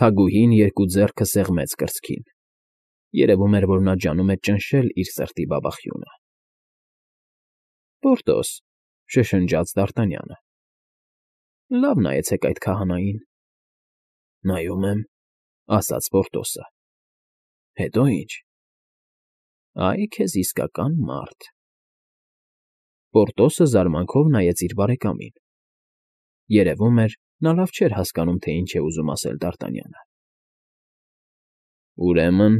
Թագուհին երկու ձեռքը սեղմեց կրծքին. երևում էր, որ նա ջանում է ճնշել իր սրտի բաբախյունը։ ֊ Պորտոս,֊ շշնջաց Դ'Արտանյանը։ ֊ Լավ նայեցեք այդ քահանային։ ֊ Նայում եմ,֊ ասաց Պորտոսը։ ֊ Հետո ի՞նչ։ ֊ Ա՜յ քեզ իսկական մարդ… Պորտոսը զարմանքով նայեց իր բարեկամին. երևում էր, նա լավ չէր հասկանում, թե ինչ է ուզում ասել Դ'Արտանյանը։ ֊ Ուրեմն,֊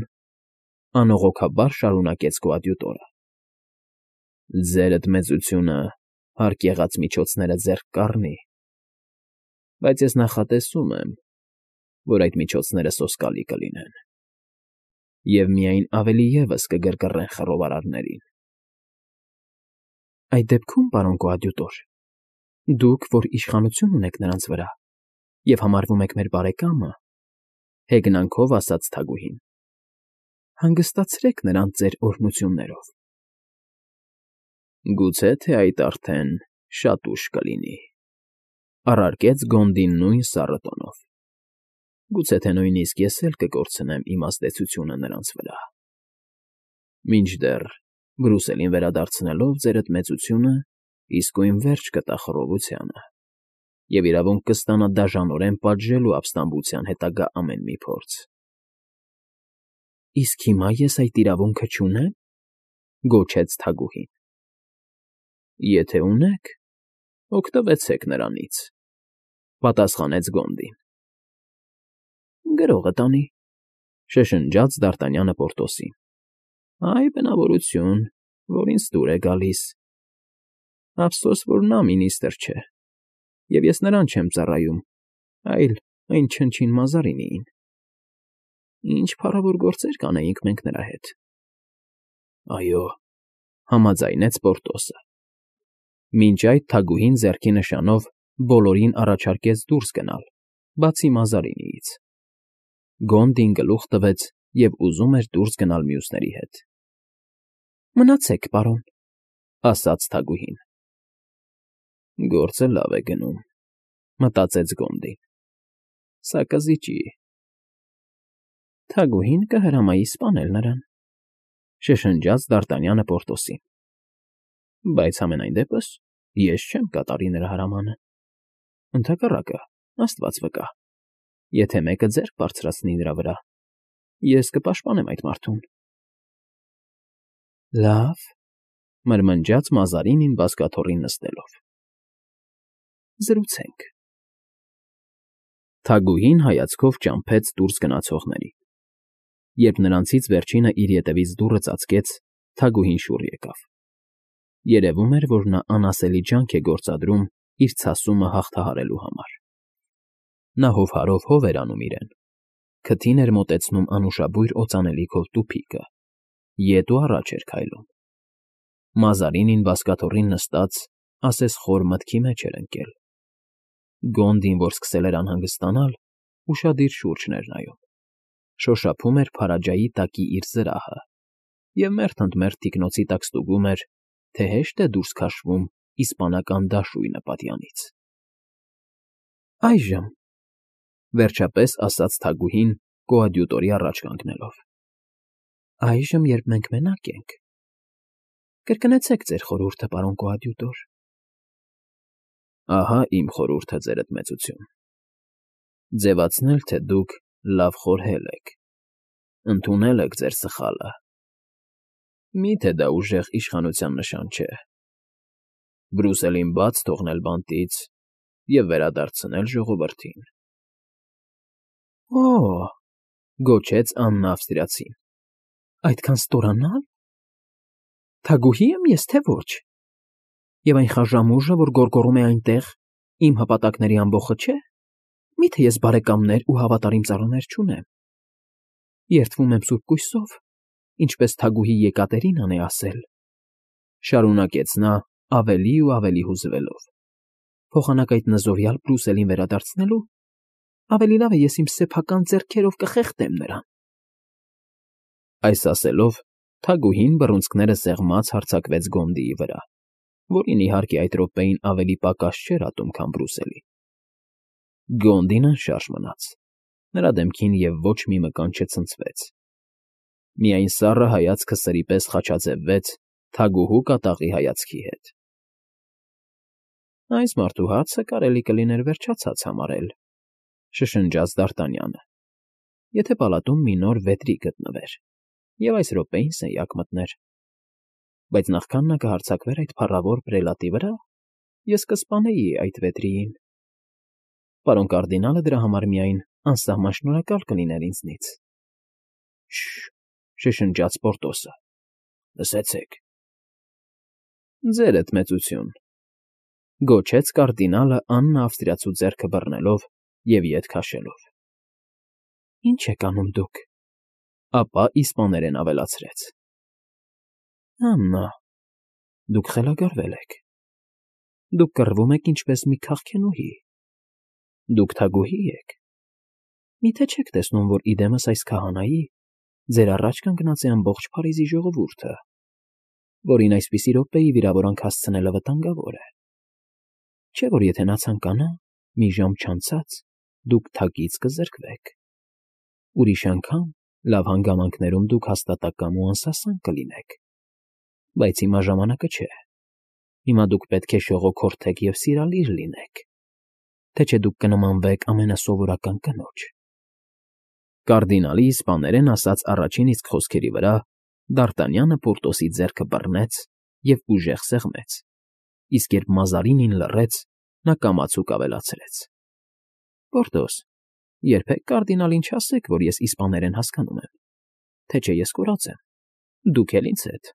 անողոքաբար շարունակեց կոադյուտորը,֊ ձերդ մեծությունը հարկ եղած միջոցները ձեռք կառնի, բայց ես նախատեսում եմ, որ այդ միջոցները սոսկալի կլինեն և միայն ավելի ևս կգրգռեն խռովարարներին։ ֊ Այդ դեպքում, պարոն կոադյուտոր, դուք, որ իշխանություն ունեք նրանց վրա և համարվում եք մեր բարեկամը,֊ հեգնանքով ասաց թագուհին,֊ հանգստացրեք նրանց ձեր օրհնություններով։ ֊ Գուցե թե այդ արդեն շատ ուշ կլինի,֊ առարկեց Գոնդին նույն սառը տոնով,֊ գուցե թե նույնիսկ ես էլ կկորցնեմ իմ ազդեցությունը նրանց վրա։ Մինչդեռ, Բրուսելին վերադարձնելով ձերդ մեծությունը իսկույն վերջ կտա խռովությանը և իրավունք կստանա դաժանորեն պատժելու ապստամբության հետագա ամեն մի փորձ։ ֊ Իսկ հիմա ես այդ իրավունքը չունե՞մ,֊ գոչեց թագուհին։ ֊ Եթե ունեք, օգտվեցեք նրանից,֊ պատասխանեց Գոնդին։ ֊ Գրողը տանի,֊ շշնջաց Դ'Արտանյանը Պորտոսին։֊ Այ բնավորություն, որ ինձ դուր է գալիս… Ափսոս, որ նա մինիստրը չէ, և ես նրան չեմ ծառայում, այլ այն չնչին Մազարինիին… Ինչ փառավոր գործեր կանեինք մենք նրա հետ… ֊ Այո,֊ համաձայնեց Պորտոսը։ Մինչ այդ թագուհին ձեռքի նշանով բոլորին առաջարկեց դուրս գնալ, բացի Մազարինիից։ Գոնդին գլուխ տվեց և ուզում էր դուրս գնալ մյուսների հետ։ ֊ Մնացեք, պարոն,֊ ասաց թագուհին։ Գործը լավ է գնում,֊ մտածեց Գոնդին։ Սա կզիջի… Թագուհին կհրամայի սպանել նրան,֊ շշնջաց Դ'Արտանյանը Պորտոսին։ ֊ Բայց համենայն դեպս ես չեմ կատարի նրա հրամանը… Ընդհակառակը, աստված վկա, եթե մեկը ձեռք բարձրացնի նրա վրա, ես կպաշտպանեմ այդ մարդուն։ ֊ Լավ,֊ մրմնջաց Մազարինին բազկաթոռին նստելով,֊ զրուցենք… Թագուհին հայացքով ճամփեց դուրս գնացողներին։ Երբ նրանցից վերջինը իր ետևից դուռը ծածկեց, թագուհին շուռ եկավ։ Երևում էր, որ նա անասելի ջանք է գործադրում իր ցասումը հաղթահարելու համար։ Նա հովհարով հով էր անում իրեն, քթին էր մոտեցնում անուշաբույր օծանելիքով տուփիկը, ետ ու առաջ էր քայլում։ Մազարինին բազկաթոռին նստած ասես խոր մտքի մեջ էր ընկել։ Գոնդին, որ սկսել էր անհանգստանալ, ուշադիր շուրջն էր նայում, շոշափում էր քարայրի տակի իր զրահը և մերթ ընդ մերթ թիկնոցի տակ ստուգում էր, թե հեշտ է դուրս քաշվում իսպանական դաշույնը պատյանից։ ֊ Այժմ,֊ վերջապես ասաց թագուհին կոադյուտորի առաջ կանգնելով,֊ այժմ, երբ մենք մենակ ենք, կրկնեցեք ձեր խորհուրդը, պարոն կոադյուտոր։ ֊ Ահա իմ խորհուրդը, ձերդ մեծություն. ձևացնել, թե դուք լավ խորհել եք, ընդունել եք ձեր սխալը… Մի՞թե դա ուժեղ իշխանության նշան չէ… Բրուսելին բաց թողնել բանտից և վերադարձնել ժողովրդին… ֊ Օ՜օ,֊ գոչեց Աննա ավստրիացին,֊ այդքան ստորանա՞լ… Թագուհի՞ եմ ես, թե ոչ… Եվ այն խաժամուժը, որ գոռգոռում է այնտեղ, իմ հպատակների ամբոխը չէ՞… Մի՞թե ես բարեկամներ ու հավատարիմ ծառաներ չունեմ… Երդվում եմ սուրբ կույսով, ինչպես թագուհի Եկատերինան է ասել,֊ շարունակեց նա ավելի ու ավելի հուզվելով,֊ փոխանակ այդ նզովյալ Բրուսելին վերադարձնելու, ավելի լավ է ես իմ սեփական ձեռքերով կխեղդեմ նրան… Այս ասելով թագուհին բռունցքները սեղմած հարձակվեց Գոնդիի վրա, որին, իհարկե, այդ րոպեին ավելի պակաս չէր ատում, քան Բրուսելին։ Գոնդին անշարժ մնաց, Նրա դեմքին և ոչ մի մկան չցնցվեց։ Միայն սառը հայացքը սրի պես խաչաձևվեց թագուհու կատաղի հայացքի հետ։ Այս մարդու հարցը կարելի կլիներ վերջացած համարել, շշնջաց Դ'Արտանյանը, եթե պալատում մի նոր վետրի գտնվեր, և այս րոպեին սենյակ մտներ։ Բայց նախքան նա կհարձակվեր այդ փառավոր պրելատի վրա, ես կսպանեի այդ վետրիին։ Պարոն կարդինալը դրա համար միայն անսահման շնորհակալ կլիներ ինձնից։ Շ… շշնջաց Պորտոսը։ Լսեցեք։ Ձերդ մեծություն, գոչեց կարդինալը Աննա ավստրիացու ձեռքը բռնելով և ետ քաշելով։ Ինչ եք անում դուք, ապա իսպաներեն ավելացրեց. Աննա, դուք խելագարվել եք։ Դուք կռվում եք ինչպես մի քաղցնուհի։ Դուք թագուհի եք։ Միթե չեք տեսնում, որ իդեմս այս քահանայի ձեր առաջ կանգնած է ամբողջ Փարիզի ժողովուրդը, որին այսպիսի րոպեի վիրավորանք հասցնելը վտանգավոր է։ Չէ՞ որ եթե նա ցանկանա, մի ժամ չանցած դուք թագից կզրկվեք։ Ուրիշ անգամ լավ հանգամանքներում դուք հաստատակամ ու անսասան կլինեք։ Բայց հիմա ժամանակը չէ։ Հիմա դուք պետք է շողոքորթեք և սիրալիր լինեք, թե չէ դուք կնմանվեք ամենասովորական կնոջ։ Կարդինալի իսպաներեն ասած առաջին իսկ խոսքերի վրա Դ'Արտանյանը Պորտոսի ձեռքը բռնեց և ուժեղ սեղմեց, իսկ երբ Մազարինին լռեց, նա կամացուկ ավելացրեց. Պորտոս, երբեք կարդինալին չասեք, որ ես իսպաներեն հասկանում եմ, թե չէ ես կորած եմ, դուք էլ ինձ հետ։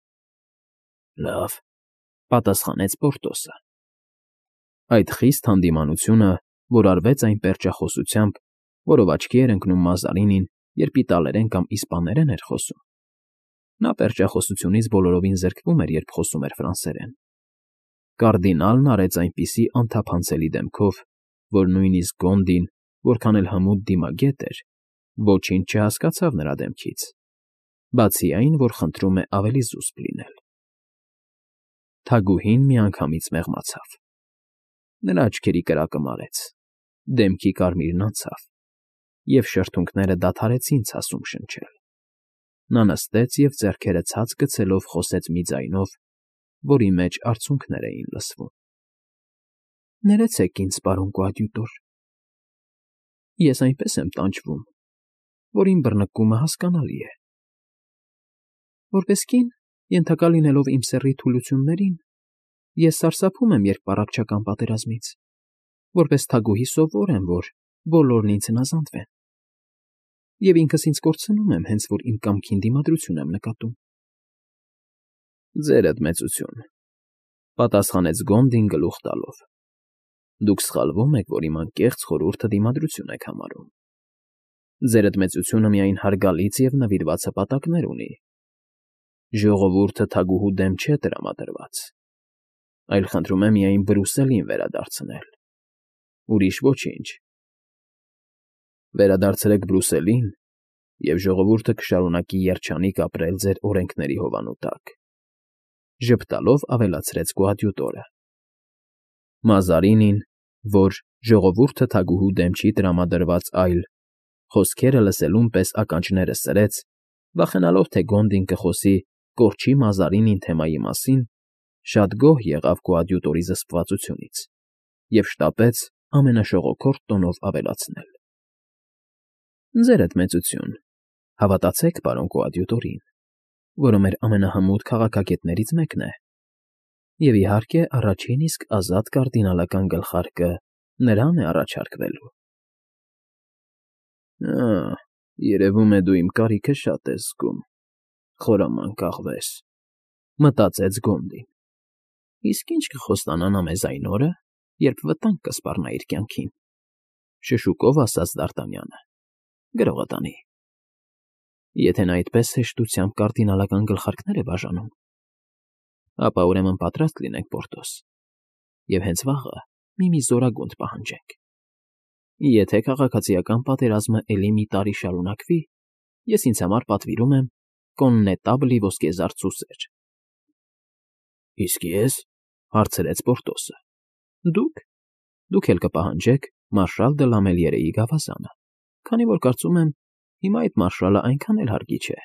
Լավ, պատասխանեց Պորտոսը։ Այդ խիստ հանդիմանությունը, որ արվեց այն պերճախոսությամբ, որով աչքի էր ընկնում Մազարինին, երբ իտալերեն կամ իսպաներեն էր խոսում։ Նա պերճախոսությունից բոլորովին զրկվում էր, երբ խոսում էր ֆրանսերեն։ Կարդինալն արեց այնպիսի անթափանցելի դեմքով, որ նույնիսկ Գոնդին, որքան էլ հմուտ դիմագետ էր, ոչինչ չհասկացավ նրա դեմքից, բացի այն, որ խնդրում է ավելի զուսպ լինել։ Թագուհին միանգամից մեղմացավ։ Նրա աչքերի կրակը մարեց, դեմքի կարմիրն անցավ, և շրթունքները դադարեցին ցասում շնչել։ Նա նստեց և ձեռքերը ցած գցելով խոսեց մի ձայնով, որի մեջ արցունքներ էին լսվում. Ներեցեք ինձ, պարոն կոադյուտոր։ Ես այնպես եմ տանջվում, որ իմ բռնկումը հասկանալի է։ Որպես կին, ենթակա լինելով իմ սեռի թուլություններին, ես սարսափում եմ, երբ առաքչական պատերազմից, որպես թագուհի սովոր եմ, որ բոլորն ինձ հնազանդվեն։ Եվ ինքս ինձ կորցնում եմ, հենց որ իմ կամքին դիմադրություն եմ նկատում։ Ձերդ մեծություն, պատասխանեց Գոնդին գլուխ տալով։ Դուք սխալվում եք, որ իմ անկեղծ խորհուրդը դիմադրություն եք համարում։ Ձերդ մեծությունը միայն հարգալից և նվիրված հպատակներ ունի։ Ժողովուրդը թագուհու դեմ չէ տրամադրված, այլ խնդրում է միայն Բրուսելին վերադարձնել։ Ուրիշ ոչինչ։ Վերադարձրեք Բրուսելին, և ժողովուրդը կշարունակի երջանիկ ապրել ձեր օրենքների հովանու տակ, ժպտալով ավելացրեց կոադյուտորը։ Մազարինին, որ ժողովուրդը թագուհու դեմ չի տրամադրված, այլ, խոսքերը լսելուն պես ականջները սրեց, վախենալով, թե Գոնդին կխոսի կորչի Մազարինին թեմայի մասին, շատ գոհ եղավ կոադյուտորի զսպվածությունից և շտապեց ամենաշողոքորթ տոնով ավելացնել. Ձերդ մեծություն, հավատացեք պարոն կոադյուտորին, որը մեր ամենահմուտ քաղաքագետներից մեկն է, և, իհարկե, առաջին իսկ ազատ կարդինալական գլխարկը նրան է առաջարկվելու։ Երևում է դու իմ կարիքը շատ ես զգում, խորամանկ աղվես, մտածեց Գոնդին։ Իսկ ի՞նչ կխոստանա նա մեզ այն օրը, երբ վտանգ կսպառնա իր կյանքին, շշուկով ասաց Դ'Արտանյանը։ Գրողը տանի։ Եթե նա այդպես հեշտությամբ կարդինալական գլխարկներ է բաժանում, ապա ուրեմն պատրաստ լինենք, Պորտոս, և հենց վաղը մի զորագունդ պահանջենք։ Եթե քաղաքացիական պատերազմը էլի մի տարի շարունակվի, ես ինձ համար պատվիրում եմ կոննետաբլի ոսկեզար ծուսեր։ Իսկ ես, հարցրեց Պորտոսը։ Դուք էլ կպահանջեք մարշալ դը Լամելիերեի գավազանը, քանի որ կարծում եմ, հիմա այդ մարշալը այնքան էլ հարգի չէ։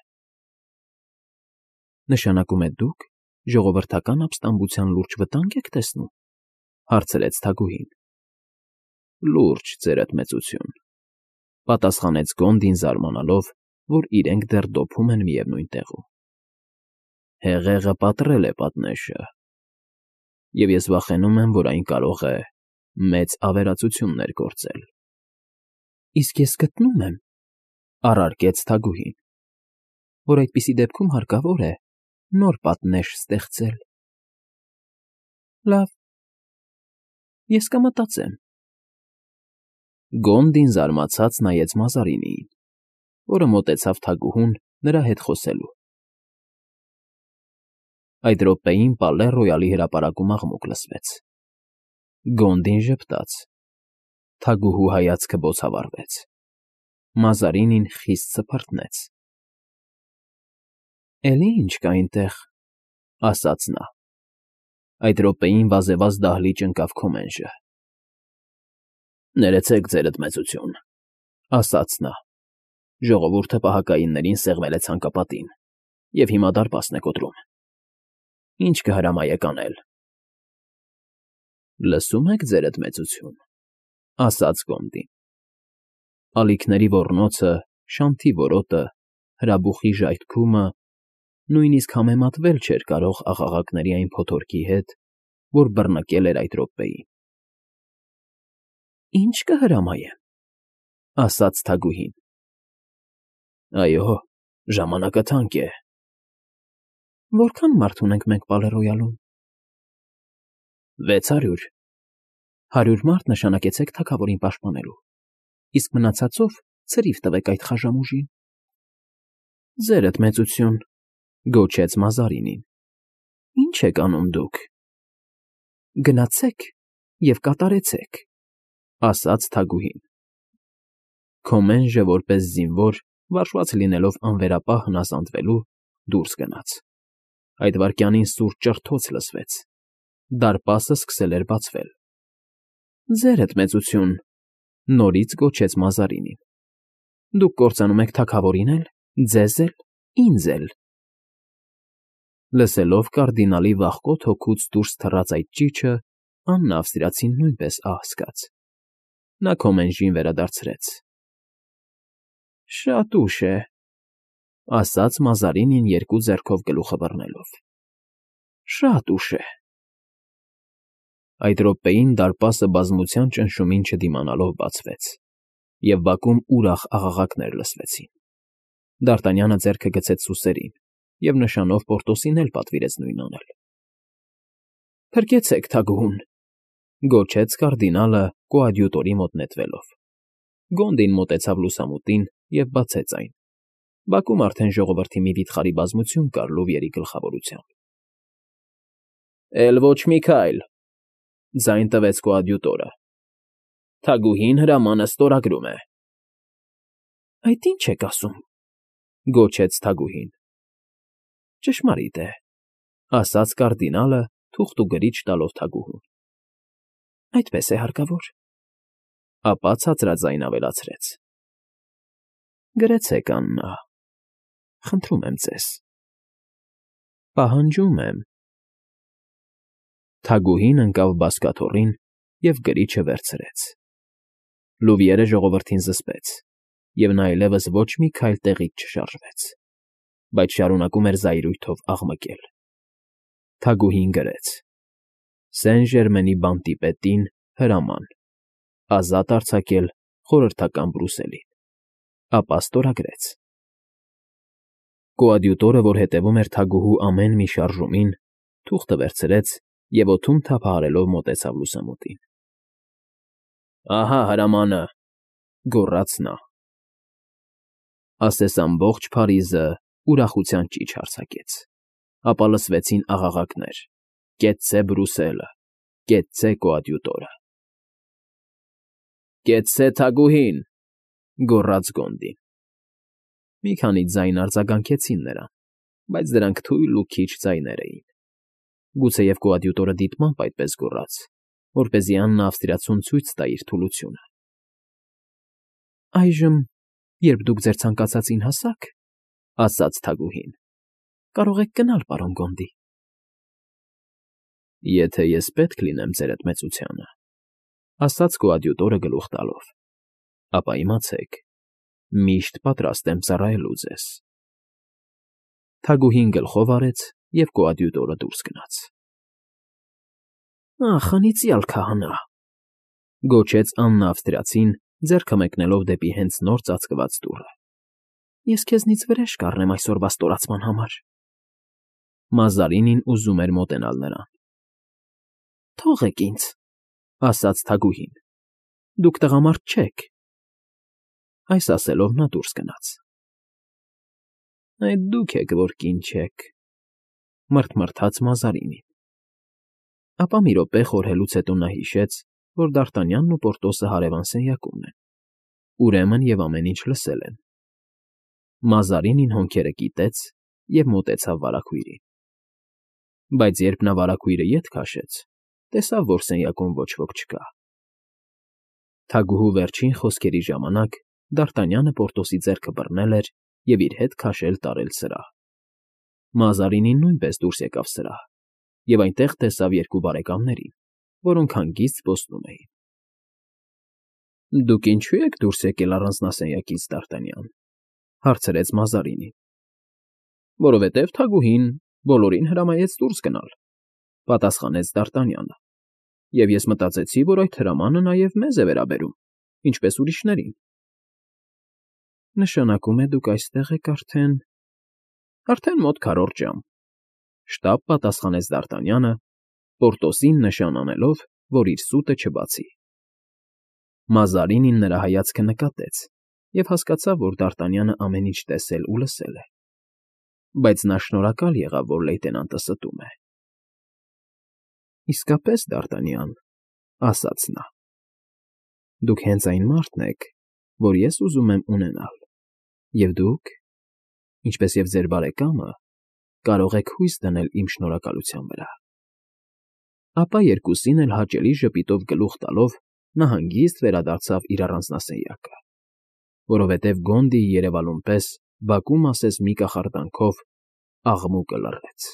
Նշանակում է դուք ժողովրդական ապստամբության լուրջ վտանգ եք տեսնում, հարցրեց թագուհին։ Լուրջ, ձերդ մեծություն, պատասխանեց Գոնդին զարմանալով, որ իրենք դեռ դոփում են միևնույն տեղում։ Հեղեղը պատռել է պատնեշը, և ես վախենում եմ, որ այն կարող է մեծ ավերածություններ գործել։ Իսկ ես գտնում եմ, առարկեց թագուհին, որ այդպիսի դեպքում հարկավոր է նոր պատնեշ ստեղծել։ Լավ, ես կմտածեմ։ Գոնդին զարմացած նայեց Մազարինիին, որը մոտեցավ թագուհուն նրա հետ խոսելու։ Այդ րոպեին Պալե Ռոյալի հրապարակում աղմուկ լսվեց։ Գոնդին ժպտաց։ Թագուհու հայացքը բոցավառվեց։ Մազարինին խիստ սփռտնեց։ Էլի ինչ կա այնտեղ, ասաց նա։ Այդ րոպեին վազեվազ դահլիճ ընկավ Քոմենժը։ Ներեցեք, ձերդ մեծություն, ասաց նա։ Ժողովուրդը պահակայիններին սեղմել է ցանկապատին, և հիմա դարպասն է կոտրում։ Ինչ կհրամայեք անել։ Լսում եք, ձերդ մեծություն, ասաց Գոնդին։ Ալիքների ոռնոցը, շանթի որոտը, հրաբուխի ժայթքումը նույնիսկ համեմատվել չէր կարող աղաղակների այն փոթորկի հետ, որ բռնկել էր այդ րոպեին։ Ինչ կհրամայեմ, ասաց թագուհին։ Այո, ժամանակը թանկ է։ Որքան մարդ ունենք մենք Պալե Ռոյալում։ 600։ 100 մարդ նշանակեցեք թագավորին պաշտպանելու, իսկ մնացածով ցրիվ տվեք այդ խաժամուժին։ Ձերդ մեծություն, գոչեց Մազարինին։ Ինչ եք անում դուք։ Գնացեք և կատարեցեք, ասաց թագուհին։ Քոմենժը որպես զինվոր, վարժված լինելով անվերապահ հնազանդվելու, դուրս գնաց։ Այդ վայրկյանին սուր ճռթոց լսվեց։ Դարպասը սկսել էր բացվել։ Ձերդ մեծություն, նորից գոչեց Մազարինին։ Դուք կործանում եք թագավորին էլ, ձեզ էլ, ինձ էլ։ Լսելով կարդինալի վախկոտ հոգուց դուրս թռած այդ ճիչը, Աննա ավստրիացին նույնպես ահ զգաց։ Նա Քոմենժին վերադարձրեց։ Շատ ուշ է, ասաց Մազարինին երկու ձեռքով գլուխը բռնելով։ Շատ ուշ է։ Այդ րոպեին դարպասը բազմության ճնշումին չդիմանալով բացվեց, և բակում ուրախ աղաղակներ լսվեցին։ Դ'Արտանյանը ձեռքը գցեց սուսերին և նշանով Պորտոսին էլ պատվիրեց նույն անել։ Փրկեցեք թագուհուն, գոչեց կարդինալը կոադյուտորի մոտ նետվելով։ Գոնդին մոտեցավ լուսամուտին և բացեց այն։ Բակում արդեն ժողովրդի մի վիթխարի բազմություն կար Լուվիերի գլխավորությամբ։ Էլ ոչ մի քայլ, ձայն տվեց կոադյուտորը։ Թագուհին հրամանը ստորագրում է։ Այդ ի՞նչ եք ասում, գոչեց թագուհին։ Ճշմարիտ է, ասաց կարդինալը, թուղթ ու գրիչ տալով թագուհուն։ Այդպես է հարկավոր։ Ապա ցածրաձայն ավելացրեց. Գրեցեք, Աննա, խնդրում եմ ձեզ։ Պահանջում եմ։ Թագուհին ընկավ բազկաթոռին և գրիչը վերցրեց։ Լուվիերը ժողովրդին զսպեց, և նա այլևս ոչ մի քայլ տեղից չշարժվեց, բայց շարունակում էր զայրույթով աղմկել։ Թագուհին գրեց. Սեն Ժերմենի բանտի պետին հրաման. ազատ արձակել խորհրդական Բրուսելին։ Ապա ստորագրեց։ Կոադյուտորը, որ հետևում էր թագուհու ամեն մի շարժումին, թուղթը վերցրեց և օդում թափահարելով մոտեցավ լուսամուտին։ Ահա հրամանը, գոռաց նա։ Ասես ամբողջ Փարիզը ուրախության ճիչ արձակեց։ Ապա լսվեցին աղաղակներ. Կեցցե Բրուսելը, կեցցե կոադյուտորը։ Կեցցե թագուհին, գոռաց Գոնդին։ Մի քանի ձայն արձագանքեցին նրան, բայց դրանք թույլ ու քիչ ձայներ էին։ Գուցեև կոադյուտորը դիտմամբ այդպես գոռաց, որպեսզի Աննա ավստրիացուն ցույց տա իր թուլությունը։ Այժմ Երբ դուք ձեր ցանկացածին հասաք, ասաց թագուհին, կարող եք գնալ, պարոն Գոնդի։ Եթե ես պետք լինեմ ձեր մեծությանը, ասաց կոադյուտորը գլուխ տալով, ապա իմացեք, միշտ պատրաստ եմ ծառայելու ձեզ։ Թագուհին գլխով արեց, և կոադյուտորը դուրս գնաց։ Ախ, անիծյալ քահանա, գոչեց Աննա Ավստրիացին, ձեռքը մեկնելով դեպի հենց նոր ծածկված դուռը։ Ես քեզնից վրեժ կառնեմ այսօրվա ստորացման համար։ Մազարինին ուզում էր մոտենալ նրան։ Թողեք ինձ, ասաց թագուհին, դուք տղամարդ չեք։ Այս ասելով նա դուրս գնաց։ Այդ դուք եք, որ կին չեք, մռթմռթաց Մազարինին։ Ապա մի րոպե խորհելուց հետո նա հիշեց, որ Դարտանյանն ու Պորտոսը հարևան սենյակումն են, ուրեմն և ամեն ինչ լսել են։ Մազարինին հոնքերը կիտեց և մոտեցավ վարագույրին։ Բայց երբ նա վարագույրը ետ քաշեց, տեսավ, որ սենյակում ոչ ոք չկա։ Թագուհու վերջին խոսքերի ժամանակ Դարտանյանը Պորտոսի ձեռքը բռնել էր և իր հետ քաշել տարել սրահ։ Մազարինին նույնպես դուրս եկավ սրահ և այնտեղ տեսավ երկու բարեկամներին, որոնք հանգիստ զբոսնում էին։ Դուք ինչո՞ւ եք դուրս եկել առանձնասենյակից, Դարտանյան, հարցրեց Մազարինին։ Որովհետև թագուհին բոլորին հրամայեց դուրս գնալ, պատասխանեց Դարտանյանը, և ես մտածեցի, որ այդ հրամանը նաև մեզ է վերաբերում, ինչպես ուրիշներին։ Նշանակում է դուք այստեղ եք արդեն մոտ քառորդ ժամ, շտապ պատասխանեց Դարտանյանը, Պորտոսին նշան անելով, որ իր սուտը չբացի։ Մազարինին նրա հայացքը նկատեց և հասկացավ, որ Դարտանյանը ամեն ինչ տեսել ու լսել է, բայց նա շնորհակալ եղավ, որ լեյտենանտը ստում է։ Իսկապես, Դարտանյան, ասաց նա, դուք հենց այն մարդն եք, որ ես ուզում եմ ունենալ, և դուք, ինչպես և ձեր բարեկամը, կարող եք հույս դնել իմ շնորհակալության վրա։ Ապա երկուսին էլ հաճելի ժպիտով գլուխ տալով նա հանգիստ վերադարձավ իր առանձնասենյակը, որովհետև Գոնդիի երևալուն պես բակում ասես մի կախարդանքով աղմուկը լռեց։